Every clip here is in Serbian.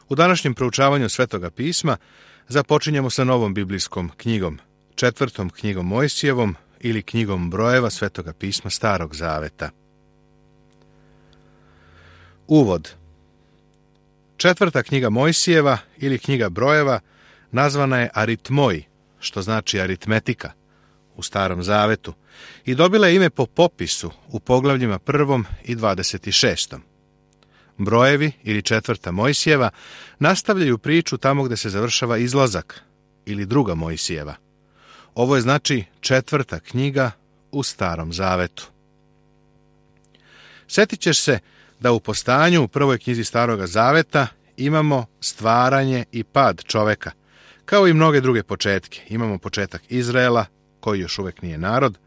U današnjem proučavanju Svetoga pisma započinjemo sa novom biblijskom knjigom, 4. knjigom Mojsijevom ili knjigom brojeva Svetoga pisma Starog zaveta. Uvod. 4. knjiga Mojsijeva ili knjiga brojeva nazvana je Aritmoj, što znači aritmetika, u Starom zavetu, i dobila je ime po popisu u poglavljima 1. i 26. Brojevi ili 4. Mojsijeva nastavljaju priču tamo gdje se završava izlazak ili 2. Mojsijeva. Ovo je znači 4. knjiga u Starom zavetu. Sjetit ćeš se da u postanju u 1. knjizi Staroga zaveta imamo stvaranje i pad čoveka, kao i mnoge druge početke. Imamo početak Izraela, koji još uvijek nije narod,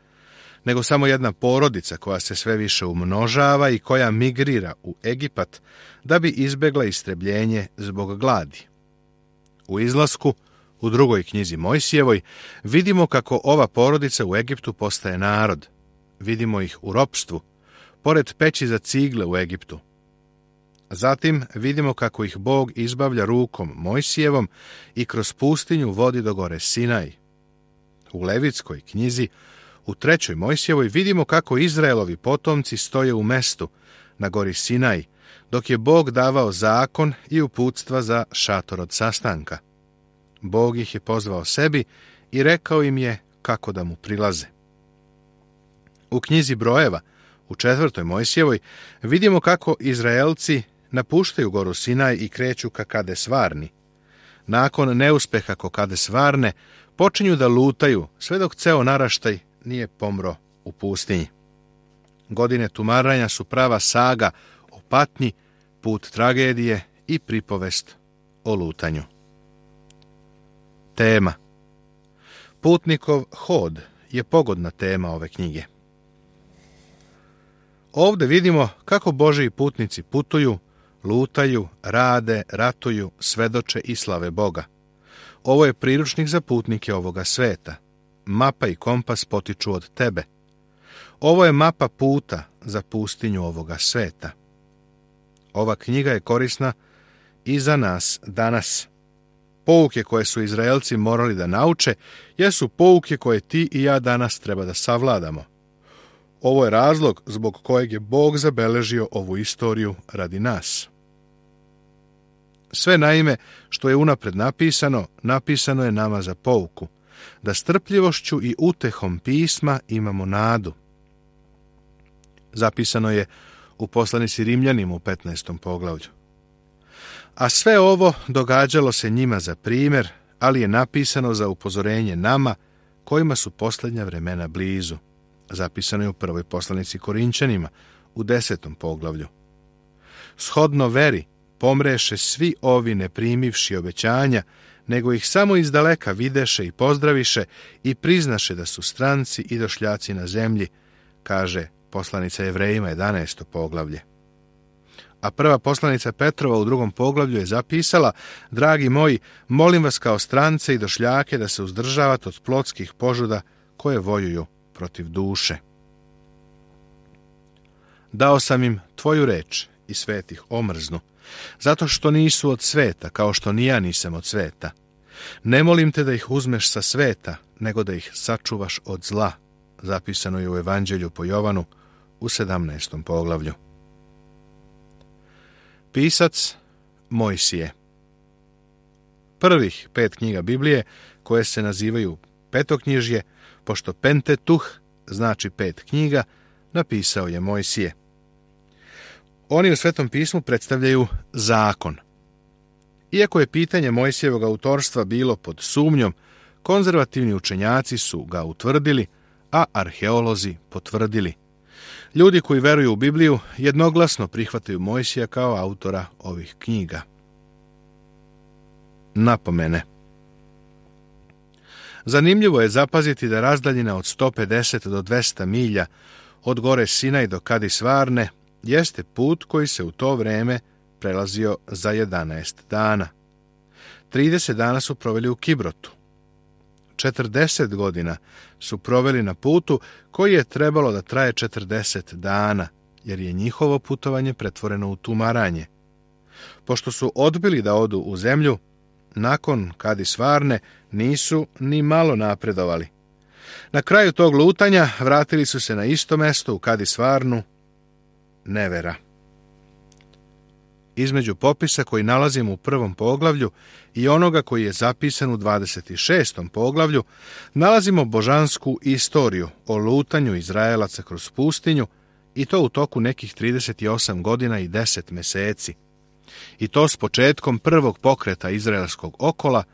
nego samo jedna porodica koja se sve više umnožava i koja migrira u Egipat da bi izbjegla istrebljenje zbog gladi. U izlasku, u 2. knjizi Mojsijevoj, vidimo kako ova porodica u Egiptu postaje narod. Vidimo ih u ropstvu, pored peći za cigle u Egiptu. Zatim vidimo kako ih Bog izbavlja rukom Mojsijevom i kroz pustinju vodi do gore Sinaj. U Levitskoj knjizi, u 3. Mojsijevoj, vidimo kako Izraelovi potomci stoje u mestu na gori Sinaj, dok je Bog davao zakon i uputstva za šator od sastanka. Bog ih je pozvao sebi i rekao im je kako da mu prilaze. U knjizi brojeva, u 4. Mojsijevoj, vidimo kako Izraelci napuštaju goru Sinaj i kreću ka Kades Varni. Nakon neuspeha ko Kades Varne, počinju da lutaju sve dok ceo naraštaj nije pomro u pustinji. Godine tumaranja su prava saga o patnji, put tragedije i pripovest o lutanju. Tema. Putnikov hod je pogodna tema ove knjige. Ovdje vidimo kako Božji putnici putuju, lutaju, rade, ratuju, svedoče i slave Boga. Ovo je priručnik za putnike ovoga sveta. Mapa i kompas potiču od tebe. Ovo je mapa puta za pustinju ovoga sveta. Ova knjiga je korisna i za nas danas. Pouke koje su Izraelci morali da nauče jesu pouke koje ti i ja danas treba da savladamo. Ovo je razlog zbog kojeg je Bog zabeležio ovu istoriju radi nas. Sve naime što je unapred napisano, napisano je nama za pouku, da strpljivošću i utehom pisma imamo nadu. Zapisano je u poslanici Rimljanima u 15. poglavlju. A sve ovo događalo se njima za primjer, ali je napisano za upozorenje nama, kojima su posljednja vremena blizu. Zapisano je u 1. poslanici Korinčanima u 10. poglavlju. Shodno veri pomreše svi ovi ne primivši obećanja, nego ih samo izdaleka videše i pozdraviše i priznaše da su stranci i došljaci na zemlji, kaže poslanica Jevrejima 11. poglavlje. A prva poslanica Petrova u 2. poglavlju je zapisala: dragi moji, molim vas kao strance i došljake da se uzdržavate od plotskih požuda koje vojuju protiv duše. Dao sam im tvoju reč i svet ih omrznu, zato što nisu od sveta, kao što ni ja nisam od sveta. Ne molim te da ih uzmeš sa sveta, nego da ih sačuvaš od zla. Zapisano je u Evanđelju po Jovanu u 17. poglavlju. Pisac Mojsije. Prvih 5 knjiga Biblije, koje se nazivaju petoknjižje, pošto Pentetuh znači 5 knjiga, napisao je Mojsije. Oni u Svetom pismu predstavljaju zakon. Iako je pitanje Mojsijevog autorstva bilo pod sumnjom, konzervativni učenjaci su ga utvrdili, a arheolozi potvrdili. Ljudi koji veruju u Bibliju jednoglasno prihvataju Mojsija kao autora ovih knjiga. Napomene. Zanimljivo je zapaziti da razdaljina od 150 do 200 milja od gore Sinaj do Kades Varne jeste put koji se u to vreme prelazio za 11 dana. 30 dana su proveli u Kibrotu. 40 godina su proveli na putu koji je trebalo da traje 40 dana, jer je njihovo putovanje pretvoreno u tumaranje. Pošto su odbili da odu u zemlju, nakon Kadis Varne nisu ni malo napredovali. Na kraju tog lutanja vratili su se na isto mesto u Kadis Varnu, nevera. Između popisa koji nalazimo u 1. poglavlju i onoga koji je zapisan u 26. poglavlju, nalazimo božansku istoriju o lutanju Izraelaca kroz pustinju, i to u toku nekih 38 godina i 10 meseci. I to s početkom prvog pokreta izraelskog okola,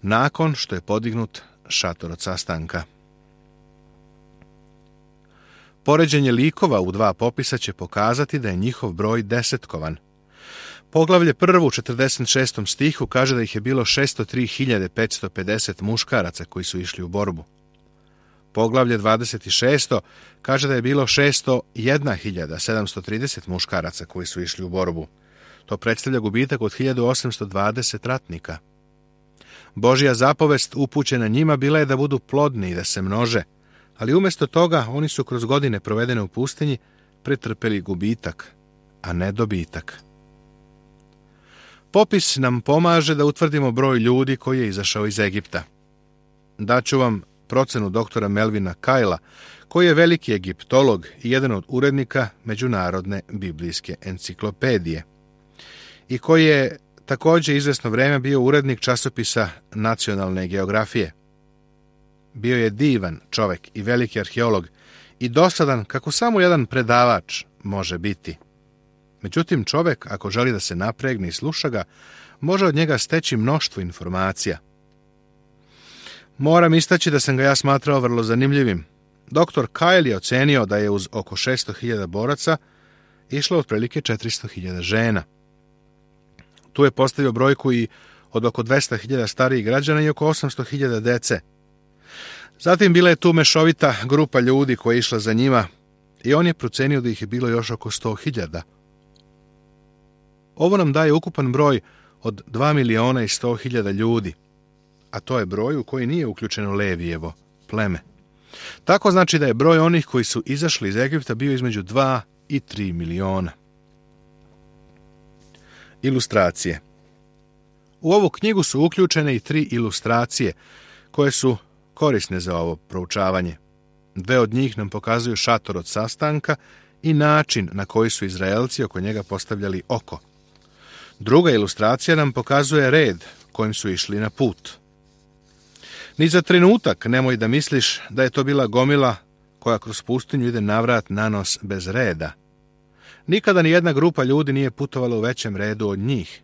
nakon što je podignut šator od sastanka. Poređenje likova u 2 popisa će pokazati da je njihov broj desetkovan. Poglavlje 1. u 46. stihu kaže da ih je bilo 603.550 muškaraca koji su išli u borbu. Poglavlje 26. kaže da je bilo 601.730 muškaraca koji su išli u borbu. To predstavlja gubitak od 1820 ratnika. Božja zapovest upućena njima bila je da budu plodni i da se množe, ali umjesto toga oni su kroz godine provedene u pustinji pretrpeli gubitak, a ne dobitak. Popis nam pomaže da utvrdimo broj ljudi koji je izašao iz Egipta. Daću vam procenu doktora Melvina Kajla, koji je veliki egiptolog i jedan od urednika Međunarodne biblijske enciklopedije i koji je također izvesno vrijeme bio urednik časopisa Nacionalne geografije. Bio je divan čovjek i veliki arheolog i dosadan kako samo jedan predavač može biti. Međutim, čovjek, ako želi da se napregne i sluša ga, može od njega steći mnoštvo informacija. Moram istaći da sam ga ja smatrao vrlo zanimljivim. Dr. Kyle je ocenio da je uz oko 600.000 boraca išlo otprilike 400.000 žena. Tu je postavio brojku i od oko 200.000 starijih građana i oko 800.000 dece. Zatim bila je tu mešovita grupa ljudi koja je išla za njima i on je procenio da ih je bilo još oko 100.000. Ovo nam daje ukupan broj od 2.100.000 ljudi, a to je broj u koji nije uključeno Levijevo pleme. Tako znači da je broj onih koji su izašli iz Egipta bio između 2 i 3 miliona. Ilustracije. U ovu knjigu su uključene i 3 ilustracije koje su korisne za ovo proučavanje. 2 od njih nam pokazuju šator od sastanka i način na koji su Izraelci oko njega postavljali oko. Druga ilustracija nam pokazuje red kojim su išli na put. Ni za trenutak nemoj da misliš da je to bila gomila koja kroz pustinju ide navrat na nos bez reda. Nikada ni jedna grupa ljudi nije putovala u većem redu od njih.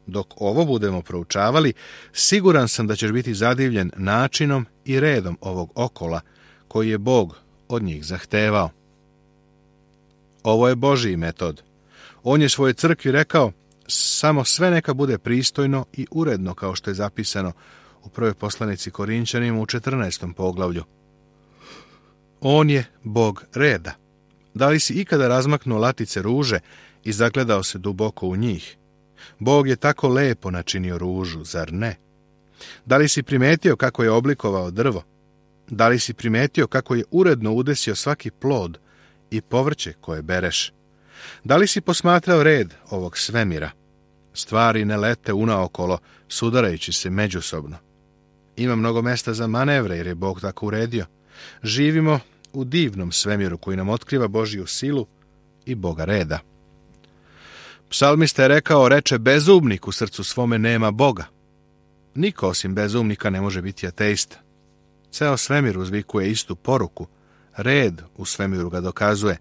Dok ovo budemo proučavali, siguran sam da ćeš biti zadivljen načinom i redom ovog okola koji je Bog od njih zahtevao. Ovo je Božji metod. On je svojoj crkvi rekao, samo sve neka bude pristojno i uredno, kao što je zapisano u prvoj poslanici Korinčanima u 14. poglavlju. On je Bog reda. Da li si ikada razmaknuo latice ruže i zagledao se duboko u njih? Bog je tako lepo načinio ružu, zar ne? Da li si primetio kako je oblikovao drvo? Da li si primetio kako je uredno udesio svaki plod i povrće koje bereš? Da li si posmatrao red ovog svemira? Stvari ne lete unaokolo, sudarajući se međusobno. Ima mnogo mesta za manevre, jer je Bog tako uredio. Živimo u divnom svemiru koji nam otkriva Božju silu i Boga reda. Psalmista je rekao, reče bezumnik u srcu svome nema Boga. Niko osim bezumnika ne može biti ateista. Ceo svemir uzvikuje istu poruku. Red u svemiru ga dokazuje.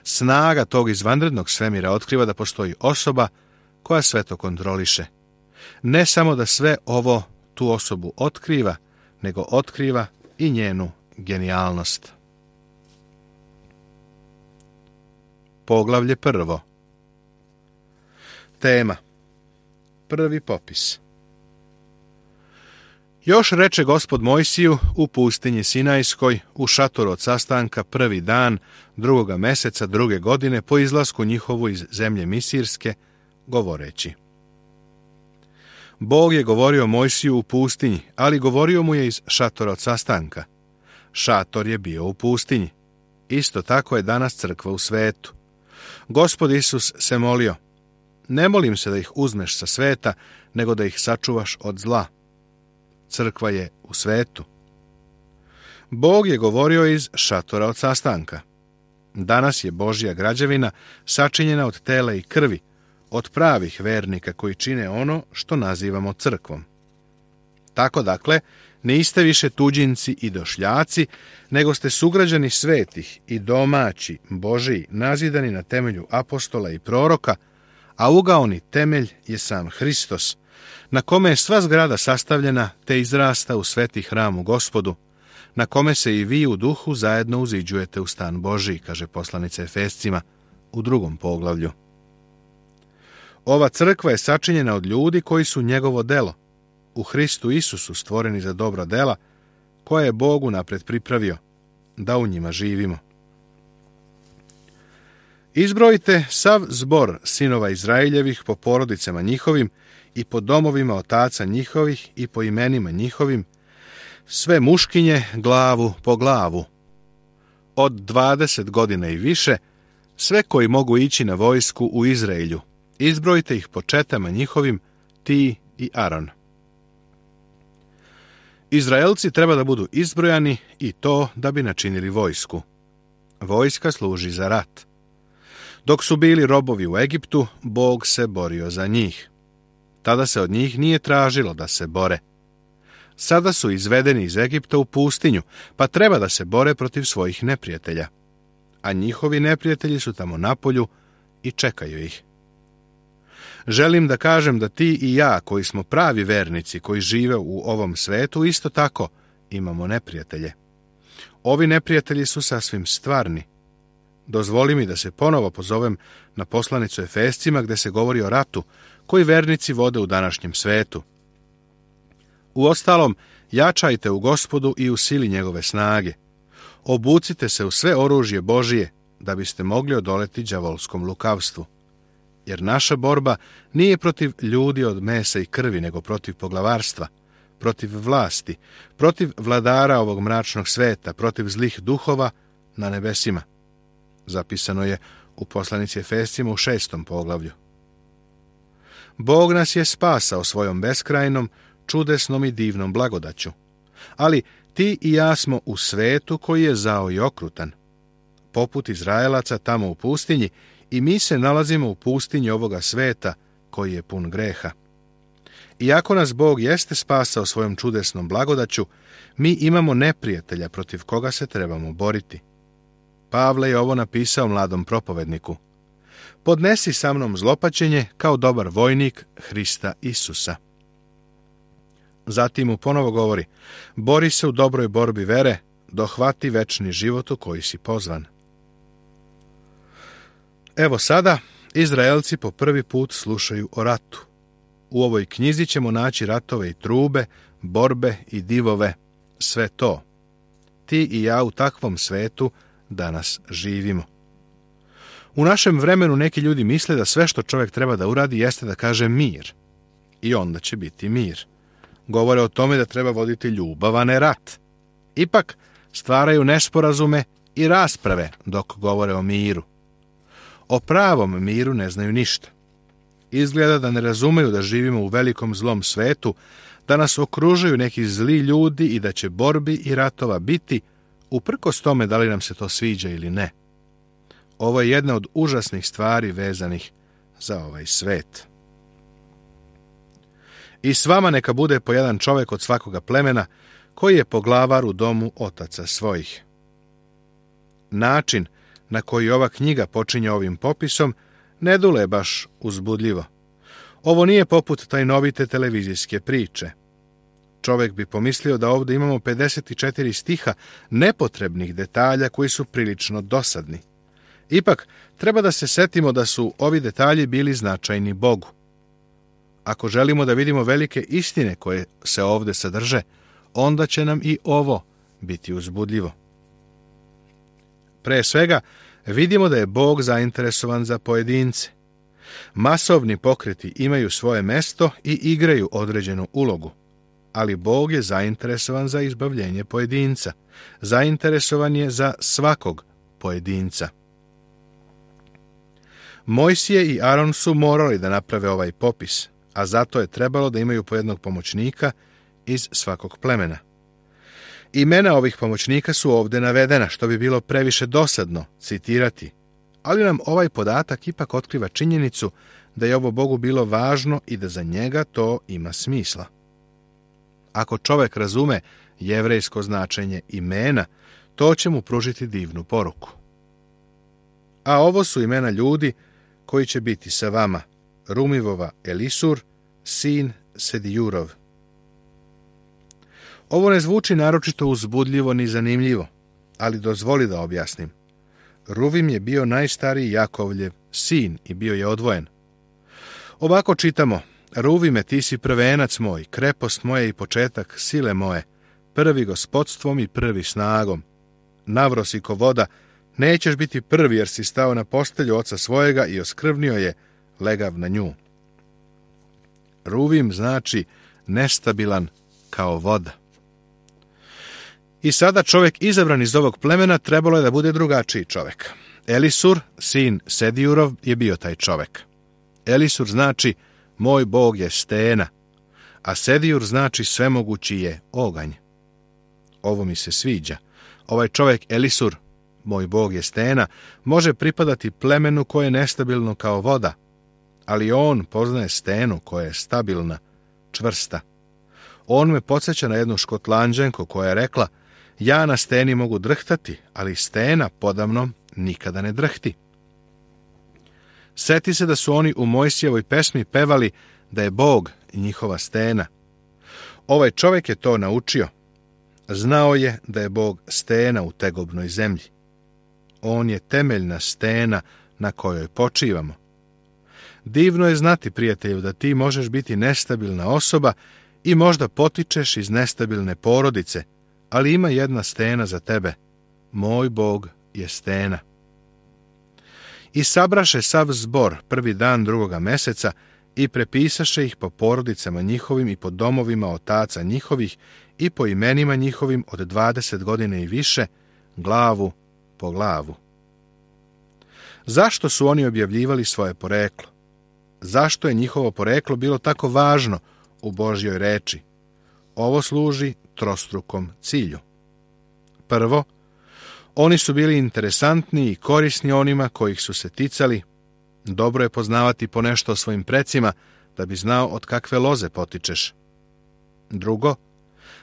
Snaga tog izvanrednog svemira otkriva da postoji osoba koja sve to kontroliše. Ne samo da sve ovo tu osobu otkriva, nego otkriva i njenu genijalnost. Poglavlje 1. Tema. Prvi popis. Još reče Gospod Mojsiju u pustinji Sinajskoj, u šatoru od sastanka, 1. dan 2. meseca 2. godine po izlasku njihovu iz zemlje Misirske, govoreći. Bog je govorio Mojsiju u pustinji, ali govorio mu je iz šatora od sastanka. Šator je bio u pustinji. Isto tako je danas crkva u svetu. Gospod Isus se molio, Ne molim se da ih uzmeš sa sveta, nego da ih sačuvaš od zla. Crkva je u svetu. Bog je govorio iz šatora od sastanka. Danas je Božja građevina sačinjena od tela i krvi, od pravih vernika koji čine ono što nazivamo crkvom. Tako dakle, niste više tuđinci i došljaci, nego ste sugrađani svetih i domaći, Božiji, nazidani na temelju apostola i proroka, a ugaoni temelj je sam Hristos, na kome je sva zgrada sastavljena te izrasta u sveti hram u Gospodu, na kome se i vi u duhu zajedno uziđujete u stan Božiji, kaže poslanica Efescima u 2. poglavlju. Ova crkva je sačinjena od ljudi koji su njegovo delo, u Hristu Isusu stvoreni za dobra dela, koje je Bog unapred pripravio, da u njima živimo. Izbrojite sav zbor sinova Izraeljevih po porodicama njihovim i po domovima otaca njihovih i po imenima njihovim, sve muškinje glavu po glavu. Od 20 godina i više, sve koji mogu ići na vojsku u Izraelju, izbrojite ih po četama njihovim, ti i Aron. Izraelci treba da budu izbrojani i to da bi načinili vojsku. Vojska služi za rat. Dok su bili robovi u Egiptu, Bog se borio za njih. Tada se od njih nije tražilo da se bore. Sada su izvedeni iz Egipta u pustinju, pa treba da se bore protiv svojih neprijatelja. A njihovi neprijatelji su tamo napolju i čekaju ih. Želim da kažem da ti i ja, koji smo pravi vernici, koji žive u ovom svetu, isto tako imamo neprijatelje. Ovi neprijatelji su sasvim stvarni. Dozvoli mi da se ponovo pozovem na poslanicu Efescima gde se govori o ratu koji vernici vode u današnjem svetu. Uostalom, jačajte u Gospodu i u sili njegove snage. Obucite se u sve oružje Božije, da biste mogli odoleti đavolskom lukavstvu. Jer naša borba nije protiv ljudi od mesa i krvi, nego protiv poglavarstva, protiv vlasti, protiv vladara ovog mračnog sveta, protiv zlih duhova na nebesima. Zapisano je u poslanici Efescima u 6. poglavlju. Bog nas je spasao svojom beskrajnom, čudesnom i divnom blagodaću. Ali ti i ja smo u svetu koji je zao i okrutan. Poput Izraelaca tamo u pustinji, i mi se nalazimo u pustinji ovoga sveta koji je pun greha. Iako nas Bog jeste spasao svojom čudesnom blagodaću, mi imamo neprijatelja protiv koga se trebamo boriti. Pavle je ovo napisao mladom propovedniku. Podnesi sa mnom zlopaćenje kao dobar vojnik Hrista Isusa. Zatim mu ponovo govori, bori se u dobroj borbi vere, dohvati večni život u koji si pozvan. Evo sada, Izraelci po prvi put slušaju o ratu. U ovoj knjizi ćemo naći ratove i trube, borbe i divove, sve to. Ti i ja u takvom svetu danas živimo. U našem vremenu neki ljudi misle da sve što čovjek treba da uradi jeste da kaže mir. I onda će biti mir. Govore o tome da treba voditi ljubav, a ne rat. Ipak stvaraju nesporazume i rasprave dok govore o miru. O pravom miru ne znaju ništa. Izgleda da ne razumeju da živimo u velikom zlom svetu, da nas okružuju neki zli ljudi i da će borbi i ratova biti, uprkos tome da li nam se to sviđa ili ne. Ovo je jedna od užasnih stvari vezanih za ovaj svet. I s vama neka bude po jedan čovjek od svakoga plemena, koji je poglavar u domu otaca svojih. Način na koji ova knjiga počinje ovim popisom ne dule baš uzbudljivo. Ovo nije poput tajnovite televizijske priče. Čovjek bi pomislio da ovdje imamo 54 stiha nepotrebnih detalja koji su prilično dosadni. Ipak, treba da se setimo da su ovi detalji bili značajni Bogu. Ako želimo da vidimo velike istine koje se ovdje sadrže, onda će nam i ovo biti uzbudljivo. Pre svega, vidimo da je Bog zainteresovan za pojedince. Masovni pokreti imaju svoje mesto i igraju određenu ulogu, ali Bog je zainteresovan za izbavljenje pojedinca. Zainteresovan je za svakog pojedinca. Mojsije i Aron su morali da naprave ovaj popis, a zato je trebalo da imaju po jednog pomoćnika iz svakog plemena. Imena ovih pomoćnika su ovdje navedena, što bi bilo previše dosadno citirati, ali nam ovaj podatak ipak otkriva činjenicu da je ovo Bogu bilo važno i da za njega to ima smisla. Ako čovjek razume jevrejsko značenje imena, to će mu pružiti divnu poruku. A ovo su imena ljudi koji će biti sa vama: Rumivova Elisur, sin Sedijurov. Ovo ne zvuči naročito uzbudljivo ni zanimljivo, ali dozvoli da objasnim. Ruvim je bio najstariji Jakovljev sin i bio je odvojen. Ovako čitamo: Ruvime, ti si prvenac moj, krepost moja i početak sile moje, prvi gospodstvom i prvi snagom. Navrosi ko voda, nećeš biti prvi jer si stao na postelju oca svojega i oskrvnio je, legav na nju. Ruvim znači nestabilan kao voda. I sada čovjek izabran iz ovog plemena trebalo je da bude drugačiji čovjek. Elisur, sin Sedijurov, je bio taj čovjek. Elisur znači moj Bog je stena, a Sedijur znači svemogući je oganj. Ovo mi se sviđa. Ovaj čovjek Elisur, moj Bog je stena, može pripadati plemenu koje je nestabilno kao voda, ali on poznaje stenu koja je stabilna, čvrsta. On me podsjeća na jednu Škotlanđanku koja je rekla: ja na steni mogu drhtati, ali stena podamnom nikada ne drhti. Seti se da su oni u Mojsijevoj pesmi pevali da je Bog njihova stena. Ovaj čovjek je to naučio. Znao je da je Bog stena u tegobnoj zemlji. On je temeljna stena na kojoj počivamo. Divno je znati, prijatelju, da ti možeš biti nestabilna osoba i možda potičeš iz nestabilne porodice, ali ima jedna stena za tebe. Moj Bog je stena. I sabraše sav zbor prvi dan 2. meseca i prepisaše ih po porodicama njihovim i po domovima otaca njihovih i po imenima njihovim od 20 godina i više, glavu po glavu. Zašto su oni objavljivali svoje poreklo? Zašto je njihovo poreklo bilo tako važno u Božjoj reči? Ovo služi trostrukom cilju. Prvo, oni su bili interesantni i korisni onima kojih su se ticali. Dobro je poznavati ponešto o svojim precima, da bi znao od kakve loze potičeš. Drugo,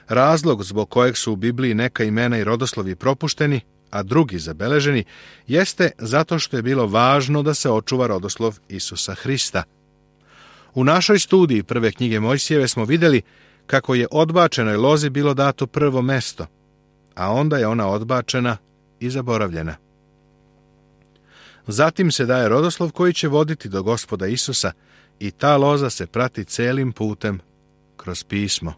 razlog zbog kojeg su u Bibliji neka imena i rodoslovi propušteni, a drugi zabeleženi, jeste zato što je bilo važno da se očuva rodoslov Isusa Hrista. U našoj studiji prve knjige Mojsijeve smo vidjeli kako je odbačenoj lozi bilo dato prvo mesto, a onda je ona odbačena i zaboravljena. Zatim se daje rodoslov koji će voditi do Gospoda Isusa i ta loza se prati celim putem kroz pismo.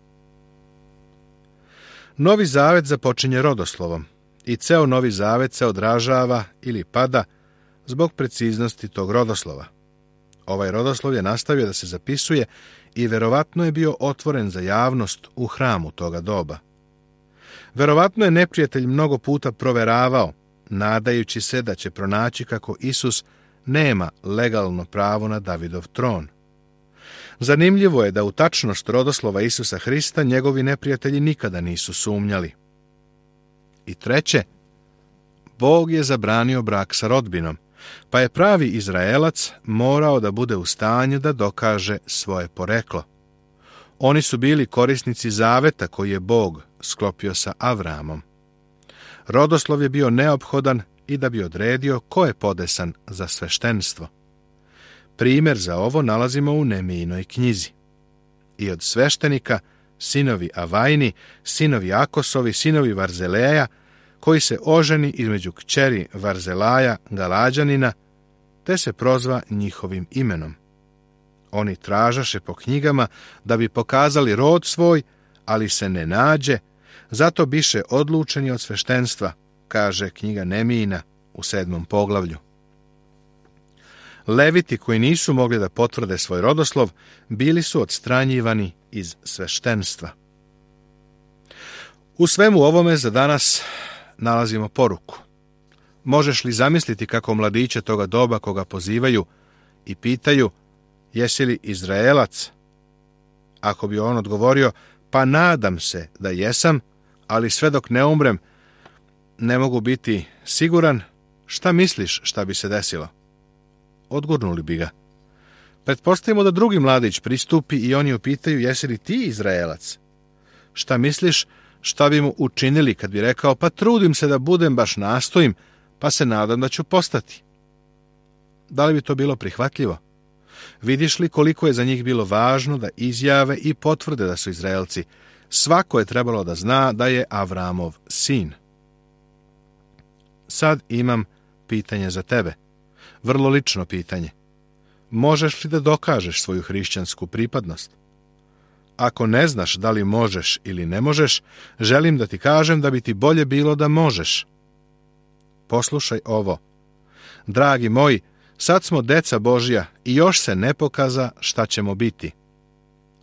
Novi zavet započinje rodoslovom i ceo Novi zavet se odražava ili pada zbog preciznosti tog rodoslova. Ovaj rodoslov je nastavio da se zapisuje i verovatno je bio otvoren za javnost u hramu toga doba. Verovatno je neprijatelj mnogo puta proveravao, nadajući se da će pronaći kako Isus nema legalno pravo na Davidov tron. Zanimljivo je da u tačnost rodoslova Isusa Hrista njegovi neprijatelji nikada nisu sumnjali. I treće, Bog je zabranio brak sa rodbinom, pa je pravi Izraelac morao da bude u stanju da dokaže svoje poreklo. Oni su bili korisnici zaveta koji je Bog sklopio sa Avramom. Rodoslov je bio neophodan i da bi odredio ko je podesan za sveštenstvo. Primjer za ovo nalazimo u Nemijinoj knjizi. I od sveštenika sinovi Avajni, sinovi Akosovi, sinovi Varzeleja, koji se oženi između kćeri Varzelaja, Galađanina, te se prozva njihovim imenom. Oni tražaše po knjigama da bi pokazali rod svoj, ali se ne nađe, zato biše odlučeni od sveštenstva, kaže knjiga Nemijina u 7. poglavlju. Leviti koji nisu mogli da potvrde svoj rodoslov, bili su odstranjivani iz sveštenstva. U svemu ovome za danas nalazimo poruku. Možeš li zamisliti kako mladiće toga doba koga pozivaju i pitaju, jesi li Izraelac? Ako bi on odgovorio, pa nadam se da jesam, ali sve dok ne umrem, ne mogu biti siguran, šta misliš šta bi se desilo? Odgurnuli bi ga. Pretpostavimo da drugi mladić pristupi i oni upitaju, jesi li ti Izraelac? Šta misliš šta bi mu učinili kad bi rekao, pa trudim se da budem, baš nastojim, pa se nadam da ću postati? Da li bi to bilo prihvatljivo? Vidiš li koliko je za njih bilo važno da izjave i potvrde da su Izraelci? Svako je trebalo da zna da je Avramov sin. Sad imam pitanje za tebe. Vrlo lično pitanje. Možeš li da dokažeš svoju hrišćansku pripadnost? Ako ne znaš da li možeš ili ne možeš, želim da ti kažem da bi ti bolje bilo da možeš. Poslušaj ovo. Dragi moji, sad smo deca Božja i još se ne pokaza šta ćemo biti.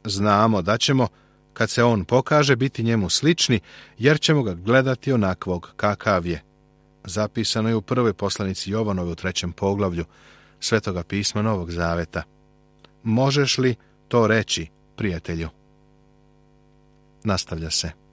Znamo da ćemo, kad se on pokaže, biti njemu slični, jer ćemo ga gledati onakvog kakav je. Zapisano je u prvoj poslanici Jovanove u 3. poglavlju Svetoga pisma Novog Zaveta. Možeš li to reći, prijatelju? Nastavlja se.